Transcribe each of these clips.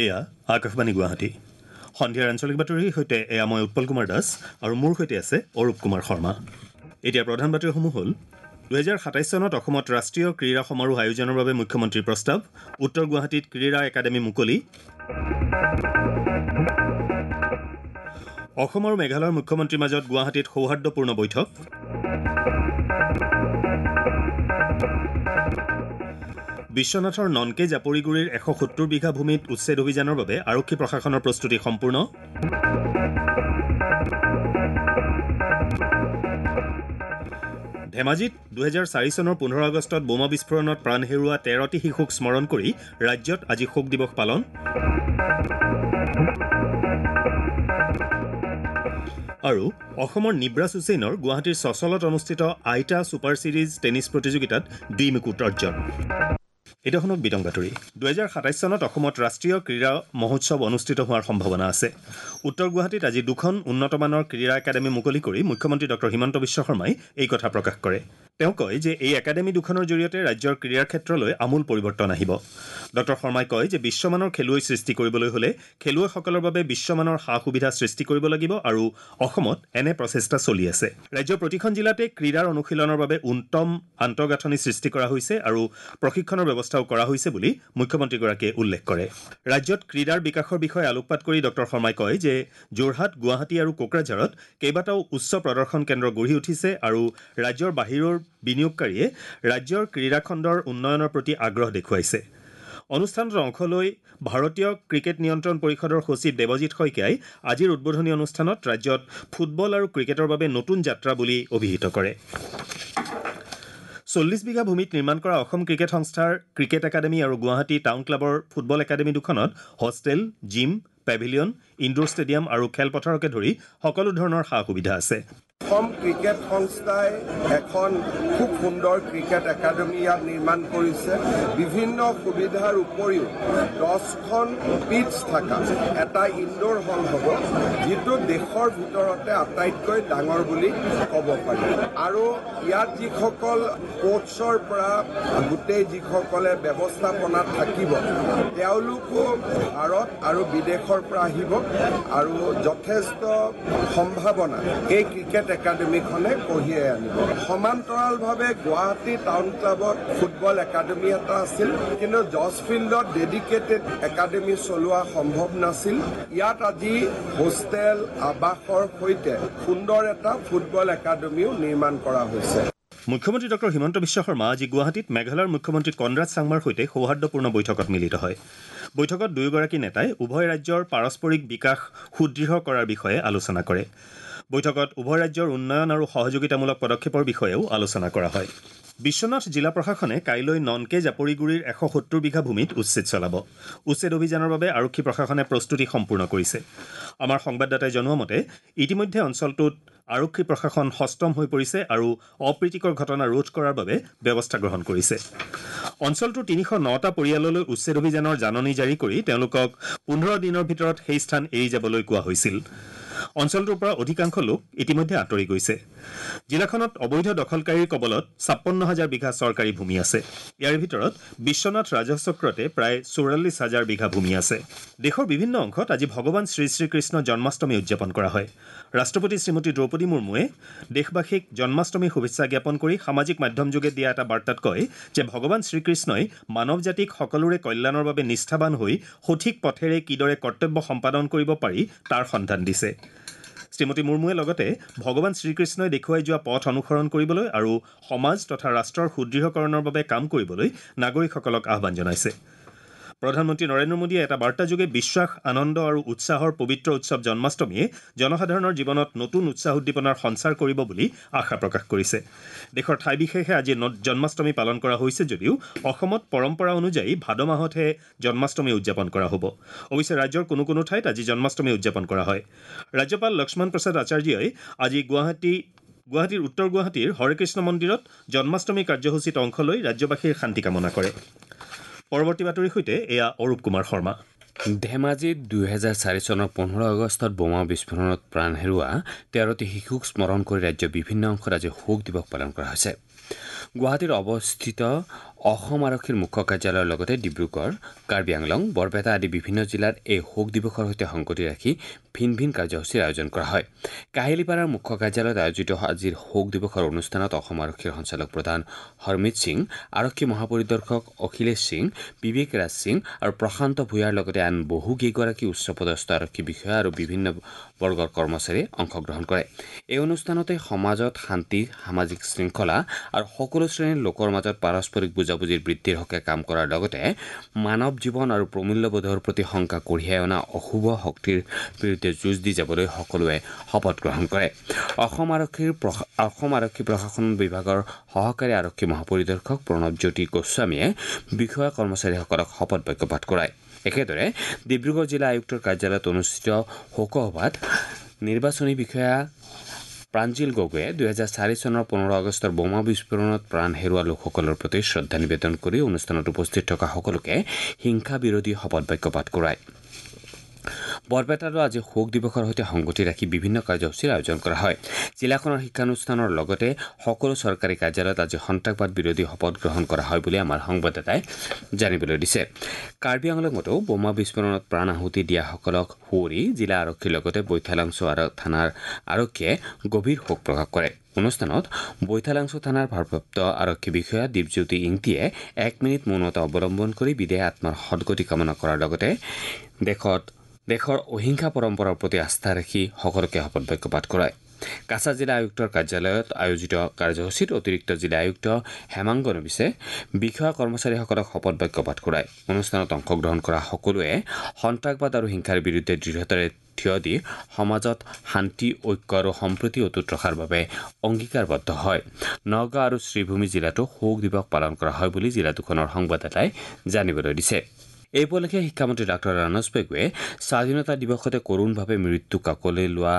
এয়া আকাশবাণী গুৱাহাটী। সন্ধিয়াৰ আঞ্চলিক বাতৰিৰ সৈতে এয়া মই উৎপল কুমাৰ দাস আৰু মোৰ সৈতে আছে অৰূপ কুমাৰ শৰ্মা। এতিয়া প্ৰধান বাতৰিসমূহ হ'ল 2027 চনত অসমত ৰাষ্ট্ৰীয় ক্ৰীড়া সমাৰোহ আয়োজনৰ বাবে মুখ্যমন্ত্ৰীৰ প্ৰস্তাৱ, উত্তৰ গুৱাহাটীত ক্ৰীড়া একাডেমী মুকলি, অসম আৰু মেঘালয়ৰ মুখ্যমন্ত্ৰীৰ মাজত গুৱাহাটীত সৌহাৰ্দ্যপূৰ্ণ বৈঠক, বিশ্বনাথৰ ননকে জাপৰিগুৰিৰ 170 বিঘা ভূমিত উচ্ছেদ অভিযানৰ বাবে আৰক্ষী প্ৰশাসনৰ প্ৰস্তুতি সম্পূৰ্ণ, ধেমাজিত 2004 চনৰ 15 আগষ্টত বোমা বিস্ফোৰণত প্ৰাণ হেৰুওৱা 13টি শিশুক স্মৰণ কৰি ৰাজ্যত আজি শোক দিৱস পালন, আৰু অসমৰ নিব্ৰাছ হুছেইনৰ গুৱাহাটীৰ চচলত অনুষ্ঠিত আইটা ছুপাৰ ছিৰিজ টেনিছ প্ৰতিযোগিতাত দ্বিমুকুট অৰ্জন। এতিয়া শুনক বিতং বাতৰি। 2027 চনত অসমত ৰাষ্ট্ৰীয় ক্ৰীড়া মহোৎসৱ অনুষ্ঠিত হোৱাৰ সম্ভাৱনা আছে। উত্তৰ গুৱাহাটীত আজি দুখন উন্নতমানৰ ক্ৰীড়া একাডেমী মুকলি কৰি মুখ্যমন্ত্ৰী ডক্টৰ হিমন্ত বিশ্ব শৰ্মাই এই কথা প্ৰকাশ কৰে। তেওঁ কয় যে এই একাডেমী দুখনৰ জৰিয়তে ৰাজ্যৰ ক্ৰীড়াৰ ক্ষেত্ৰলৈ আমূল পৰিৱৰ্তন আহিব। ডক্টৰ শৰ্মাই কয় যে বিশ্বমানৰ খেলুৱৈ সৃষ্টি কৰিবলৈ হ'লে খেলুৱৈসকলৰ বাবে বিশ্বমানৰ সা সুবিধা সৃষ্টি কৰিব লাগিব আৰু অসমত এনে প্ৰচেষ্টা চলি আছে। ৰাজ্যৰ প্ৰতিখন জিলাতে ক্ৰীড়াৰ অনুশীলনৰ বাবে উত্তম আন্তঃগাঁথনি সৃষ্টি কৰা হৈছে আৰু প্ৰশিক্ষণৰ ব্যৱস্থাও কৰা হৈছে বুলি মুখ্যমন্ত্ৰীগৰাকীয়ে উল্লেখ কৰে। ৰাজ্যত ক্ৰীড়াৰ বিকাশৰ বিষয়ে আলোকপাত কৰি ডক্টৰ শৰ্মাই কয় যে যোৰহাট, গুৱাহাটী আৰু কোকৰাঝাৰত কেইবাটাও উচ্চ প্ৰদৰ্শন কেন্দ্ৰ গঢ়ি উঠিছে আৰু ৰাজ্যৰ বাহিৰৰ বিনিয়োগকাৰীয়ে ৰাজ্যৰ ক্ৰীড়াখণ্ডৰ উন্নয়নৰ প্ৰতি আগ্ৰহ দেখুৱাইছে। অনুষ্ঠানত অংশ লৈ ভাৰতীয় ক্ৰিকেট নিয়ন্ত্ৰণ পৰিষদৰ সচিব দেৱজিৎ শইকীয়াই আজিৰ উদ্বোধনী অনুষ্ঠানত ৰাজ্যত ফুটবল আৰু ক্ৰিকেটৰ বাবে নতুন যাত্ৰা বুলি অভিহিত কৰে। 40 বিঘা ভূমিত নিৰ্মাণ কৰা অসম ক্ৰিকেট সংস্থাৰ ক্ৰিকেট একাডেমী আৰু গুৱাহাটী টাউন ক্লাবৰ ফুটবল একাডেমী দুখনত hostel, gym, pavilion, indoor stadium আৰু খেলপথাৰকে ধৰি সকলো ধৰণৰ সা সুবিধা আছে। অসম ক্ৰিকেট সংস্থাই এখন খুব সুন্দৰ ক্ৰিকেট একাডেমী ইয়াত নিৰ্মাণ কৰিছে। বিভিন্ন সুবিধাৰ উপৰিও 10খন পিটছ থকা এটা ইনডোৰ হল হ'ব, যিটো দেশৰ ভিতৰতে আটাইতকৈ ডাঙৰ বুলি ক'ব পাৰি। আৰু ইয়াত যিসকল কোচৰ পৰা গোটেই যিসকলে ব্যৱস্থাপনাত থাকিব, তেওঁলোকো ভাৰত আৰু বিদেশৰ পৰা আহিব আৰু যথেষ্ট সম্ভাৱনা এই ক্ৰিকেট একাডেমীখনে কঢ়িয়াই আনিব। সমান্তৰালভাৱে গুৱাহাটী টাউন ক্লাবত ফুটবল একাডেমী এটা আছিল, কিন্তু জজ ফিল্ডত ডেডিকেটেড একাডেমী চলোৱা সম্ভৱ নাছিল। ইয়াত আজি হোষ্টেল, আৱাসৰ সৈতে সুন্দৰ এটা ফুটবল একাডেমীও নিৰ্মাণ কৰা হৈছে। মুখ্যমন্ত্ৰী ডক্টৰ হিমন্ত বিশ্ব শৰ্মা আজি গুৱাহাটীত মেঘালয়ৰ মুখ্যমন্ত্ৰী কনৰাড চাংমাৰ সৈতে সৌহাৰ্দ্যপূৰ্ণ বৈঠকত মিলিত হয়। বৈঠকত দুয়োগৰাকী নেতাই উভয় ৰাজ্যৰ পাৰস্পৰিক বিকাশ সুদৃঢ় কৰাৰ বিষয়ে আলোচনা কৰে। বৈঠকত উভয় ৰাজ্যৰ উন্নয়ন আৰু সহযোগিতামূলক পদক্ষেপৰ বিষয়েও আলোচনা কৰা হয়। বিশ্বনাথ জিলা প্ৰশাসনে কাইলৈ ননকে জাপৰিগুৰিৰ 170 বিঘা ভূমিত উচ্ছেদ চলাব। উচ্ছেদ অভিযানৰ বাবে আৰক্ষী প্ৰশাসনে প্ৰস্তুতি সম্পূৰ্ণ কৰিছে। আমাৰ সংবাদদাতাই জনোৱা মতে ইতিমধ্যে অঞ্চলটোত আৰক্ষী প্ৰশাসন সষ্টম হৈ পৰিছে আৰু অপ্ৰীতিকৰ ঘটনা ৰোধ কৰাৰ বাবে ব্যৱস্থা গ্ৰহণ কৰিছে। অঞ্চলটোৰ 309টা পৰিয়াললৈ উচ্ছেদ অভিযানৰ জাননী জাৰি কৰি তেওঁলোকক 15 দিনৰ ভিতৰত সেই স্থান এৰি যাবলৈ কোৱা হৈছিল। অঞ্চলটোৰ পৰা অধিকাংশ লোক ইতিমধ্যে আঁতৰি গৈছে। জিলাখনত অবৈধ দখলকাৰীৰ কবলত 56 হাজাৰ বিঘা চৰকাৰী ভূমি আছে। ইয়াৰ ভিতৰত বিশ্বনাথ ৰাজহ চক্ৰতে প্ৰায় 44 হাজাৰ বিঘা ভূমি আছে। দেশৰ বিভিন্ন অংশত আজি ভগৱান শ্ৰী শ্ৰীকৃষ্ণ জন্মাষ্টমী উদযাপন কৰা হয়। ৰাষ্ট্ৰপতি শ্ৰীমতী দ্ৰৌপদী মুৰ্মুৱে দেশবাসীক জন্মাষ্টমীৰ শুভেচ্ছা জ্ঞাপন কৰি সামাজিক মাধ্যমযোগে দিয়া এটা বাৰ্তাত কয় যে ভগৱান শ্ৰীকৃষ্ণই মানৱ জাতিক সকলোৰে কল্যাণৰ বাবে নিষ্ঠাবান হৈ সঠিক পথেৰে কিদৰে কৰ্তব্য সম্পাদন কৰিব পাৰি তাৰ সন্ধান দিছে। শ্ৰীমতী মুৰ্মুৱে লগতে ভগৱান শ্ৰীকৃষ্ণই দেখুৱাই যোৱা পথ অনুসৰণ কৰিবলৈ আৰু সমাজ তথা ৰাষ্ট্ৰৰ সুদৃঢ়কৰণৰ বাবে কাম কৰিবলৈ নাগৰিকসকলক আহ্বান জনাইছে। প্ৰধানমন্ত্ৰী নৰেন্দ্ৰ মোদীয়ে এটা বাৰ্তাযোগে বিশ্বাস, আনন্দ আৰু উৎসাহৰ পবিত্ৰ উৎসৱ জন্মাষ্টমীয়ে জনসাধাৰণৰ জীৱনত নতুন উৎসাহ উদ্দীপনাৰ সঞ্চাৰ কৰিব বুলি আশা প্ৰকাশ কৰিছে। দেশৰ ঠাই বিশেষে আজি জন্মাষ্টমী পালন কৰা হৈছে যদিও অসমত পৰম্পৰা অনুযায়ী ভাদ মাহতহে জন্মাষ্টমী উদযাপন কৰা হ'ব। অৱশ্যে ৰাজ্যৰ কোনো কোনো ঠাইত আজি জন্মাষ্টমী উদযাপন কৰা হয়। ৰাজ্যপাল লক্ষ্মণ প্ৰসাদ আচাৰ্যই আজি গুৱাহাটীৰ উত্তৰ গুৱাহাটীৰ হৰেকৃষ্ণ মন্দিৰত জন্মাষ্টমী কাৰ্যসূচীত অংশ লৈ ৰাজ্যবাসীৰ শান্তি কামনা কৰে। পৰৱৰ্তী বাতৰিৰ সৈতে এয়া অৰূপ কুমাৰ শৰ্মা। ধেমাজিত 2004 চনৰ 15 আগষ্টত বোমা বিস্ফোৰণত প্ৰাণ হেৰুওৱা 13টি শিশুক স্মৰণ কৰি ৰাজ্যৰ বিভিন্ন অংশত আজি শোক দিৱস পালন কৰা হৈছে। গুৱাহাটীৰ অৱস্থিত অসম আৰক্ষীৰ মুখ্য কাৰ্যালয়ৰ লগতে ডিব্ৰুগড়, কাৰ্বি আংলং, বৰপেটা আদি বিভিন্ন জিলাত এই শোক দিৱসৰ সৈতে সংগতি ৰাখি ভিন ভিন কাৰ্যসূচীৰ আয়োজন কৰা হয়। কাহিলীপাৰাৰ মুখ্য কাৰ্যালয়ত আয়োজিত আজিৰ শোক দিৱসৰ অনুষ্ঠানত অসম আৰক্ষীৰ সঞ্চালক প্ৰধান হৰমিত সিং, আৰক্ষী মহাপৰিদৰ্শক অখিলেশ সিং, বিবেক ৰাজ সিং আৰু প্ৰশান্ত ভূঞাৰ লগতে আন বহুকেইগৰাকী উচ্চপদস্থ আৰক্ষী বিষয়া আৰু বিভিন্ন বৰ্গৰ কৰ্মচাৰীয়ে অংশগ্ৰহণ কৰে। এই অনুষ্ঠানতে সমাজত শান্তি, সামাজিক শৃংখলা আৰু সকলো শ্ৰেণীৰ লোকৰ মাজত পাৰস্পৰিক বুজাবুজিৰ বৃদ্ধিৰ হকে কাম কৰাৰ লগতে মানৱ জীৱন আৰু প্ৰমূল্যবোধৰ প্ৰতি শংকা কঢ়িয়াই অনা অশুভ শক্তিৰ বিৰুদ্ধে যুঁজ দি যাবলৈ সকলোৱে শপত গ্ৰহণ কৰে। অসম আৰক্ষী প্ৰশাসন বিভাগৰ সহকাৰী আৰক্ষী মহাপৰিদৰ্শক প্ৰণৱজ্যোতি গোস্বামীয়ে বিষয়া কৰ্মচাৰীসকলক শপত বাক্য পাঠ কৰায়। একেদৰে ডিব্ৰুগড় জিলা আয়ুক্তৰ কাৰ্যালয়ত অনুষ্ঠিত শোকসভাত নিৰ্বাচনী বিষয়া প্ৰাঞ্জিল গগৈয়ে 2004 চনৰ 15 আগষ্টৰ বোমা বিস্ফোৰণত প্ৰাণ হেৰুওৱা লোকসকলৰ প্ৰতি শ্ৰদ্ধা নিবেদন কৰি অনুষ্ঠানত উপস্থিত থকা সকলোকে হিংসা বিৰোধী শপত বাক্য পাঠ কৰায়। বৰপেটাতো আজি শোক দিৱসৰ সৈতে সংগতি ৰাখি বিভিন্ন কাৰ্যসূচীৰ আয়োজন কৰা হয়। জিলাখনৰ শিক্ষানুষ্ঠানৰ লগতে সকলো চৰকাৰী কাৰ্যালয়ত আজি সন্ত্ৰাসবাদ বিৰোধী শপত গ্ৰহণ কৰা হয় বুলি আমাৰ সংবাদদাতাই জানিবলৈ দিছে। কাৰ্বি আংলঙতো বোমা বিস্ফোৰণত প্ৰাণ আহুতি দিয়াসকলক সুঁৱৰি জিলা আৰক্ষীৰ লগতে বৈঠালাংছ থানাৰ আৰক্ষীয়ে গভীৰ শোক প্ৰকাশ কৰে। অনুষ্ঠানত বৈঠালাংছ থানাৰ ভাৰপ্ৰাপ্ত আৰক্ষী বিষয়া দীপজ্যোতি ইংতিয়ে 1 মিনিট মৌনতা অৱলম্বন কৰি বিদেহ আত্মাৰ সদগতি কামনা কৰাৰ লগতে দেশৰ অহিংসা পৰম্পৰাৰ প্ৰতি আস্থা ৰাখি সকলোকে শপত বাক্য পাঠ কৰায়। কাছাৰ জিলা আয়ুক্তৰ কাৰ্যালয়ত আয়োজিত কাৰ্যসূচীত অতিৰিক্ত জিলা আয়ুক্ত হেমাংগ নবিছে বিষয়া কৰ্মচাৰীসকলক শপত বাক্য পাঠ কৰায়। অনুষ্ঠানত অংশগ্ৰহণ কৰা সকলোৱে সন্ত্ৰাসবাদ আৰু হিংসাৰ বিৰুদ্ধে দৃঢ়তাৰে থিয় দি সমাজত শান্তি, ঐক্য আৰু সম্প্ৰীতি অটুট ৰখাৰ বাবে অংগীকাৰবদ্ধ হয়। নগাঁও আৰু শ্ৰীভূমি জিলাতো শোক দিৱস পালন কৰা হয় বুলি জিলা দুখনৰ সংবাদদাতাই জানিবলৈ দিছে। এই উপলক্ষে শিক্ষামন্ত্ৰী ডাঃ ৰানোজ পেগুৱে স্বাধীনতা দিৱসতে কৰুণভাৱে মৃত্যু কাকলৈ লোৱা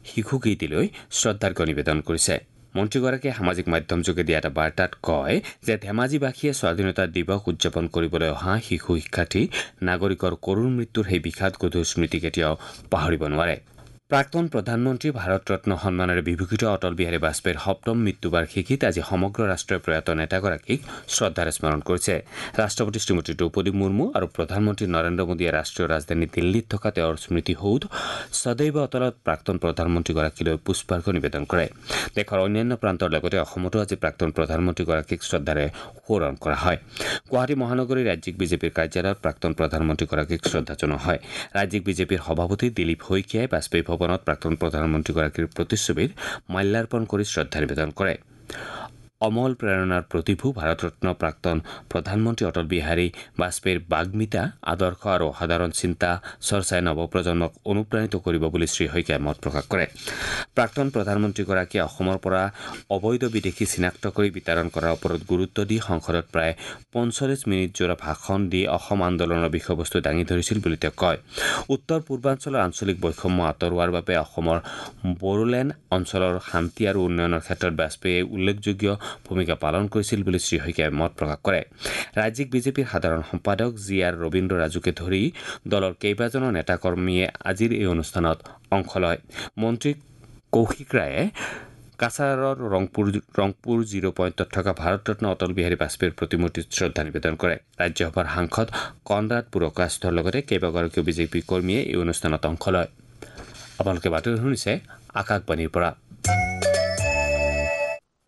শিশুকেইটিলৈ শ্ৰদ্ধাৰ্ঘ্য নিবেদন কৰিছে। মন্ত্ৰীগৰাকীয়ে সামাজিক মাধ্যমযোগে দিয়া এটা বাৰ্তাত কয় যে ধেমাজিবাসীয়ে স্বাধীনতা দিৱস উদযাপন কৰিবলৈ অহা শিশু শিক্ষাৰ্থী নাগৰিকৰ কৰুণ মৃত্যুৰ সেই বিষাদ গধুৰ স্মৃতি কেতিয়াও পাহৰিব নোৱাৰে। প্ৰাক্তন প্ৰধানমন্ত্ৰী ভাৰতৰত্ন সন্মানেৰে বিভূষিত অটল বিহাৰী বাজপেয়ীৰ সপ্তম মৃত্যুবাৰ্ষিকীত আজি সমগ্ৰ ৰাষ্ট্ৰই প্ৰয়াত নেতাগৰাকীক শ্ৰদ্ধাৰে স্মৰণ কৰিছে। ৰাষ্ট্ৰপতি শ্ৰীমতী দ্ৰৌপদী মুৰ্মু আৰু প্ৰধানমন্ত্ৰী নৰেন্দ্ৰ মোদীয়ে ৰাষ্ট্ৰীয় ৰাজধানী দিল্লীত থকা তেওঁৰ স্মৃতিসৌধ সদৈৱ অটলত প্ৰাক্তন প্ৰধানমন্ত্ৰীগৰাকীলৈ পুষ্পাৰ্ঘ্য নিবেদন কৰে। দেশৰ অন্যান্য প্ৰান্তৰ লগতে অসমতো আজি প্ৰাক্তন প্ৰধানমন্ত্ৰীগৰাকীক শ্ৰদ্ধাৰে সোঁৱৰণ কৰা হয়। গুৱাহাটী মহানগৰীৰ ৰাজ্যিক বিজেপিৰ কাৰ্যালয়ত প্ৰাক্তন প্ৰধানমন্ত্ৰীগৰাকীক শ্ৰদ্ধা জনোৱা হয়। ৰাজ্যিক বিজেপিৰ সভাপতি দিলীপ শইকীয়াই বাজপেয়ী ভৱনত প্ৰাক্তন প্ৰধানমন্ত্ৰীগৰাকীৰ প্ৰতিচ্ছবিত মাল্যাৰ্পণ কৰি শ্ৰদ্ধা নিবেদন কৰে। অমল প্ৰেৰণাৰ প্ৰতিভূ ভাৰতৰত্ন প্ৰাক্তন প্ৰধানমন্ত্ৰী অটল বিহাৰী বাজপেয়ীৰ বাগ্মিতা, আদৰ্শ আৰু অসাধাৰণ চিন্তা চৰ্চাই নৱপ্ৰজন্মক অনুপ্ৰাণিত কৰিব বুলি শ্ৰী শইকীয়াই মত প্ৰকাশ কৰে। প্ৰাক্তন প্ৰধানমন্ত্ৰীগৰাকীয়ে অসমৰ পৰা অবৈধ বিদেশী চিনাক্ত কৰি বিতৰণ কৰাৰ ওপৰত গুৰুত্ব দি সংসদত প্ৰায় 45 মিনিট জোৰা ভাষণ দি অসম আন্দোলনৰ বিষয়বস্তু দাঙি ধৰিছিল বুলি তেওঁ কয়। উত্তৰ পূৰ্বাঞ্চলৰ আঞ্চলিক বৈষম্য আঁতৰোৱাৰ বাবে অসমৰ বড়োলেণ্ড অঞ্চলৰ শান্তি আৰু উন্নয়নৰ ক্ষেত্ৰত বাজপেয়ীয়ে উল্লেখযোগ্য ভূমিকা পালন কৰিছিল বুলি শ্ৰী শইকীয়াই মত প্ৰকাশ কৰে। ৰাজ্যিক বিজেপিৰ সাধাৰণ সম্পাদক জি আৰ ৰবীন্দ্ৰ ৰাজুকে ধৰি দলৰ কেইবাজনো নেতাকৰ্মীয়ে আজিৰ এই অনুষ্ঠানত অংশ লয়। মন্ত্ৰী কৌশিক ৰায়ে কাছাৰৰ ৰংপুৰ জিৰ' পইণ্টত থকা ভাৰতৰত্ন অটল বিহাৰী বাজপেয়ীৰ প্ৰতিমূৰ্তিত শ্ৰদ্ধা নিবেদন কৰে। ৰাজ্যসভাৰ সাংসদ কনৰাড পুৰকাস্থৰ লগতে কেইবাগৰাকীও বিজেপি কৰ্মীয়ে এই অনুষ্ঠানত অংশ লয়। আপোনালোকে বাতৰি শুনিছে আকাশবাণীৰ পৰা।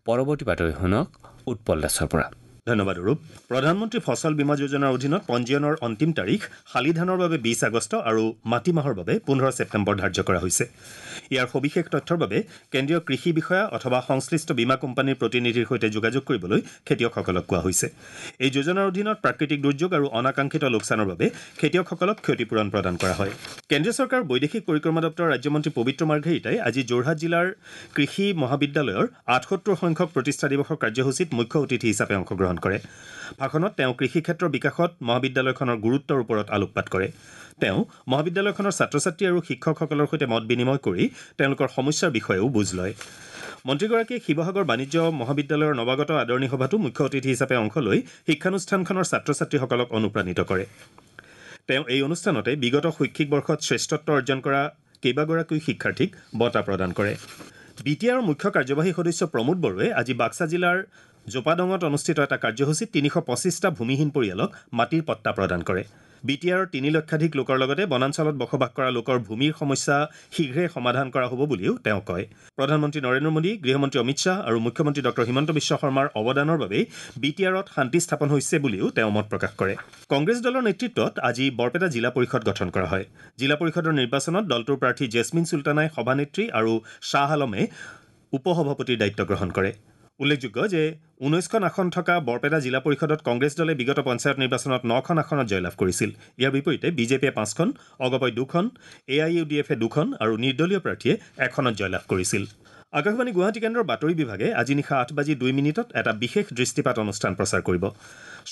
পৰৱৰ্তী বাতৰি শুনক উৎপল দাসৰ পৰা। ধন্যবাদ ৰূপ। প্ৰধানমন্ত্ৰী ফচল বীমা যোজনাৰ অধীনত পঞ্জীয়নৰ অন্তিম তাৰিখ শালি ধানৰ বাবে 20 আগষ্ট আৰু মাটিমাহৰ বাবে 15 ছেপ্টেম্বৰ ধাৰ্য কৰা হৈছে। ইয়াৰ সবিশেষ তথ্যৰ বাবে কেন্দ্ৰীয় কৃষি বিষয়া অথবা সংশ্লিষ্ট বীমা কোম্পানীৰ প্ৰতিনিধিৰ সৈতে যোগাযোগ কৰিবলৈ খেতিয়কসকলক কোৱা হৈছে। এই যোজনাৰ অধীনত প্ৰাকৃতিক দুৰ্যোগ আৰু অনাকাংক্ষিত লোকচানৰ বাবে খেতিয়কসকলক ক্ষতিপূৰণ প্ৰদান কৰা হয়। কেন্দ্ৰীয় চৰকাৰৰ বৈদেশিক পৰিক্ৰমা দপ্তৰৰ ৰাজ্যমন্ত্ৰী পবিত্ৰ মাৰ্ঘেৰিটাই আজি যোৰহাট জিলাৰ কৃষি মহাবিদ্যালয়ৰ 78 সংখ্যক প্ৰতিষ্ঠা দিৱসৰ কাৰ্যসূচীত মুখ্য অতিথি হিচাপে অংশগ্ৰহণ কৰে। ভাষণত তেওঁ কৃষি ক্ষেত্ৰৰ বিকাশত মহাবিদ্যালয়খনৰ গুৰুত্বৰ ওপৰত আলোকপাত কৰে। তেওঁ মহাবিদ্যালয়খনৰ ছাত্ৰ ছাত্ৰী আৰু শিক্ষকসকলৰ সৈতে মত বিনিময় কৰি তেওঁলোকৰ সমস্যাৰ বিষয়েও বুজ লয়। মন্ত্ৰীগৰাকীয়ে শিৱসাগৰ বাণিজ্য মহাবিদ্যালয়ৰ নৱাগত আদৰণি সভাতো মুখ্য অতিথি হিচাপে অংশ লৈ শিক্ষানুষ্ঠানখনৰ ছাত্ৰ ছাত্ৰীসকলক অনুপ্ৰাণিত কৰে। তেওঁ এই অনুষ্ঠানতে বিগত শৈক্ষিক বৰ্ষত শ্ৰেষ্ঠত্ব অৰ্জন কৰা কেইবাগৰাকীও শিক্ষাৰ্থীক বঁটা প্ৰদান কৰে। বি টি আৰৰ মুখ্য কাৰ্যবাহী সদস্য প্ৰমোদ বড়োৱে আজি বাক্সা জিলাৰ জোপাডঙত অনুষ্ঠিত এটা কাৰ্যসূচীত 325টা ভূমিহীন পৰিয়ালক মাটিৰ পট্টা প্ৰদান কৰে। বি টি আৰৰ 3 লক্ষাধিক লোকৰ লগতে বনাঞ্চলত বসবাস কৰা লোকৰ ভূমিৰ সমস্যা শীঘ্ৰে সমাধান কৰা হ'ব বুলিও তেওঁ কয়। প্ৰধানমন্ত্ৰী নৰেন্দ্ৰ মোদী, গৃহমন্ত্ৰী অমিত শ্বাহ আৰু মুখ্যমন্ত্ৰী ডঃ হিমন্ত বিশ্ব শৰ্মাৰ অৱদানৰ বাবেই বি টি আৰত শান্তি স্থাপন হৈছে বুলিও তেওঁ মত প্ৰকাশ কৰে। কংগ্ৰেছ দলৰ নেতৃত্বত আজি বৰপেটা জিলা পৰিষদ গঠন কৰা হয়। জিলা পৰিষদৰ নিৰ্বাচনত দলটোৰ প্ৰাৰ্থী জেছমিন চুলতানাই সভানেত্ৰী আৰু শ্বাহ আলমে উপ-সভাপতিৰ দায়িত্ব গ্ৰহণ কৰে। উল্লেখযোগ্য যে 19খন আসন থকা বৰপেটা জিলা পৰিষদত কংগ্ৰেছ দলে বিগত পঞ্চায়ত নিৰ্বাচনত 9খন আসনত জয়লাভ কৰিছিল। ইয়াৰ বিপৰীতে বিজেপিয়ে 5খন, অগপই 2খন, এ I U D এফে 2খন আৰু নিৰ্দলীয় প্ৰাৰ্থীয়ে 1খনত জয়লাভ কৰিছিল। আকাশবাণী গুৱাহাটী কেন্দ্ৰৰ বাতৰি বিভাগে আজি নিশা 8:02 এটা বিশেষ দৃষ্টিপাত অনুষ্ঠান প্ৰচাৰ কৰিব।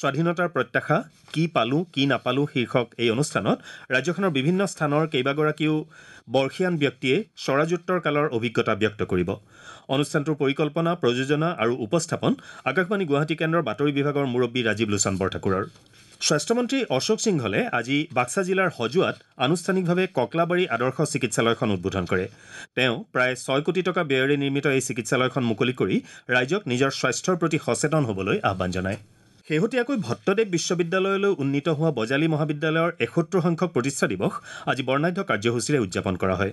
স্বাধীনতাৰ প্ৰত্যাশা কি পালোঁ কি নাপালোঁ শীৰ্ষক এই অনুষ্ঠানত ৰাজ্যখনৰ বিভিন্ন স্থানৰ কেইবাগৰাকীও বৰ্ষীয়ান ব্যক্তিয়ে স্বৰাজোত্তৰ কালৰ অভিজ্ঞতা ব্যক্ত কৰিব। অনুষ্ঠানটোৰ পৰিকল্পনা, প্ৰযোজনা আৰু উপস্থাপন আকাশবাণী গুৱাহাটী কেন্দ্ৰৰ বাতৰি বিভাগৰ মুৰব্বী ৰাজীৱ লোচন বৰঠাকুৰৰ। স্বাস্থ্যমন্ত্ৰী অশোক সিংহলে আজি বাক্সা জিলাৰ হজুৱাত আনুষ্ঠানিকভাৱে ককলাবাৰী আদৰ্শ চিকিৎসালয়খন উদ্বোধন কৰে। তেওঁ প্ৰায় 6 কোটি টকা ব্যয়েৰে নিৰ্মিত এই চিকিৎসালয়খন মুকলি কৰি ৰাইজক নিজৰ স্বাস্থ্যৰ প্ৰতি সচেতন হ'বলৈ আহ্বান জনায়। শেহতীয়াকৈ ভট্টদেৱ বিশ্ববিদ্যালয়লৈ উন্নীত হোৱা বজালী মহাবিদ্যালয়ৰ ৭১ সংখ্যক প্ৰতিষ্ঠা দিৱস আজি বৰ্ণাঢ্য কাৰ্যসূচীৰে উদযাপন কৰা হয়।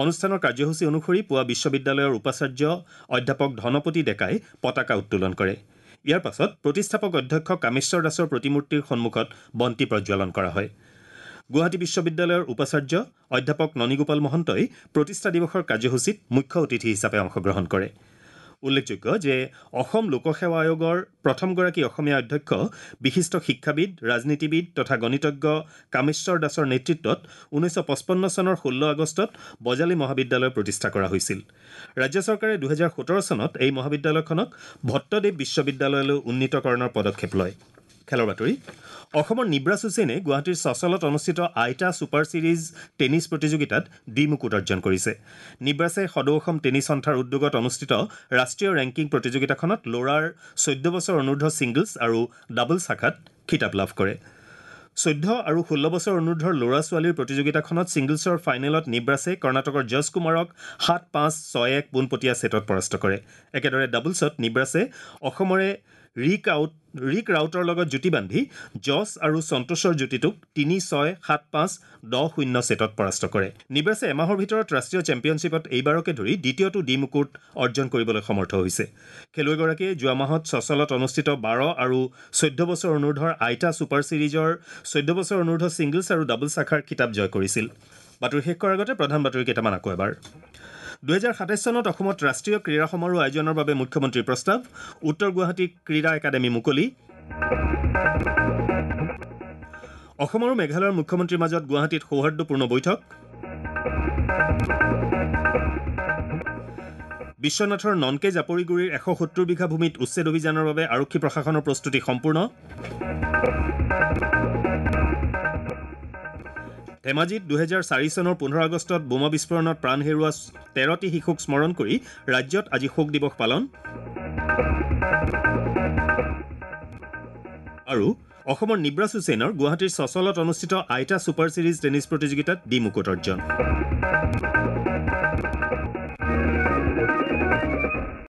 অনুষ্ঠানৰ কাৰ্যসূচী অনুসৰি পুৱা বিশ্ববিদ্যালয়ৰ উপাচাৰ্য অধ্যাপক ধনপতি ডেকাই পতাকা উত্তোলন কৰে। ইয়াৰ পাছত প্ৰতিষ্ঠাপক অধ্যক্ষ কামেশ্বৰ দাসৰ প্ৰতিমূৰ্তিৰ সন্মুখত বন্তি প্ৰজ্বলন কৰা হয়। গুৱাহাটী বিশ্ববিদ্যালয়ৰ উপাচাৰ্য অধ্যাপক ননীগোপাল মহন্তই প্ৰতিষ্ঠা দিৱসৰ কাৰ্যসূচীত মুখ্য অতিথি হিচাপে অংশগ্ৰহণ কৰে। উল্লেখযোগ্য যে অসম লোকসেৱা আয়োগৰ প্ৰথমগৰাকী অসমীয়া অধ্যক্ষ বিশিষ্ট শিক্ষাবিদ, ৰাজনীতিবিদ তথা গণিতজ্ঞ কামেশ্বৰ দাসৰ নেতৃত্বত 1955 চনৰ 16 আগষ্টত বজালী মহাবিদ্যালয় প্ৰতিষ্ঠা কৰা হৈছিল। ৰাজ্য চৰকাৰে 2017 চনত এই মহাবিদ্যালয়খনক ভট্টদেৱ বিশ্ববিদ্যালয়লৈ উন্নীতকৰণৰ পদক্ষেপ লয়। খেলৰ বাতৰি। অসমৰ নিব্ৰাছ হুছেইনে গুৱাহাটীৰ চচলত অনুষ্ঠিত আইটা ছুপাৰ ছিৰিজ টেনিছ প্ৰতিযোগিতাত দ্বিমুকুট অৰ্জন কৰিছে। নিব্ৰাছে সদৌ অসম টেনিছ সন্থাৰ উদ্যোগত অনুষ্ঠিত ৰাষ্ট্ৰীয় ৰেংকিং প্ৰতিযোগিতাখনত ল'ৰাৰ 14 বছৰ অনুৰ্ধ ছিংগলছ আৰু ডাবলছ শাখাত খিতাপ লাভ কৰে। 14 আৰু 16 বছৰ অনুৰ্ধৰ ল'ৰা ছোৱালীৰ প্ৰতিযোগিতাখনত ছিংগলছৰ ফাইনেলত নিব্ৰাছে কৰ্ণাটকৰ যশ কুমাৰক 7-5, 6-1 পোনপটীয়া ছেটত পৰাস্ত কৰে। একেদৰে ডাবলছত নিব্ৰাছে অসমৰে ৰিক ৰাউটৰ লগত যুটি বান্ধি যশ আৰু সন্তোষৰ যুটিটোক 3-6, 7-5, 10-0 ছেটত পৰাস্ত কৰে। নিব্ৰাছে এমাহৰ ভিতৰত ৰাষ্ট্ৰীয় চেম্পিয়নশ্বিপত এইবাৰকে ধৰি দ্বিতীয়টো দ্বিমুকুট অৰ্জন কৰিবলৈ সমৰ্থ হৈছে। খেলুৱৈগৰাকীয়ে যোৱা মাহত চচলত অনুষ্ঠিত 12 আৰু 14 বছৰ অনুৰ্ধৰ আইটা ছুপাৰ ছিৰিজৰ 14 বছৰ অনুৰ্ধ ছিংগলছ আৰু ডাবলছ শাখাৰ খিতাপ জয় কৰিছিল। বাতৰি শেষ কৰাৰ আগতে প্ৰধান বাতৰি কেইটামান আকৌ এবাৰ। 2027 চনত অসমত ৰাষ্ট্ৰীয় ক্ৰীড়া সমাৰোহ আয়োজনৰ বাবে মুখ্যমন্ত্ৰীৰ প্ৰস্তাৱ। উত্তৰ গুৱাহাটী ক্ৰীড়া একাডেমী মুকলি। অসম আৰু মেঘালয়ৰ মুখ্যমন্ত্ৰীৰ মাজত গুৱাহাটীত সৌহাৰ্দ্যপূৰ্ণ বৈঠক। বিশ্বনাথৰ ননকে জাপৰিগুৰিৰ 170 বিঘা ভূমিত উচ্ছেদ অভিযানৰ বাবে আৰক্ষী প্ৰশাসনৰ প্ৰস্তুতি সম্পূৰ্ণ। ধেমাজিত 2004 চনৰ 15 আগষ্টত বোমা বিস্ফোৰণত প্ৰাণ হেৰুওৱা 13টি শিশুক স্মৰণ কৰি ৰাজ্যত আজি শোক দিৱস পালন। আৰু অসমৰ নিব্ৰাছ হুছেইনৰ গুৱাহাটীৰ চচলত অনুষ্ঠিত আইটা ছুপাৰ ছিৰিজ টেনিছ প্ৰতিযোগিতাত দ্বিমুকুট অৰ্জন।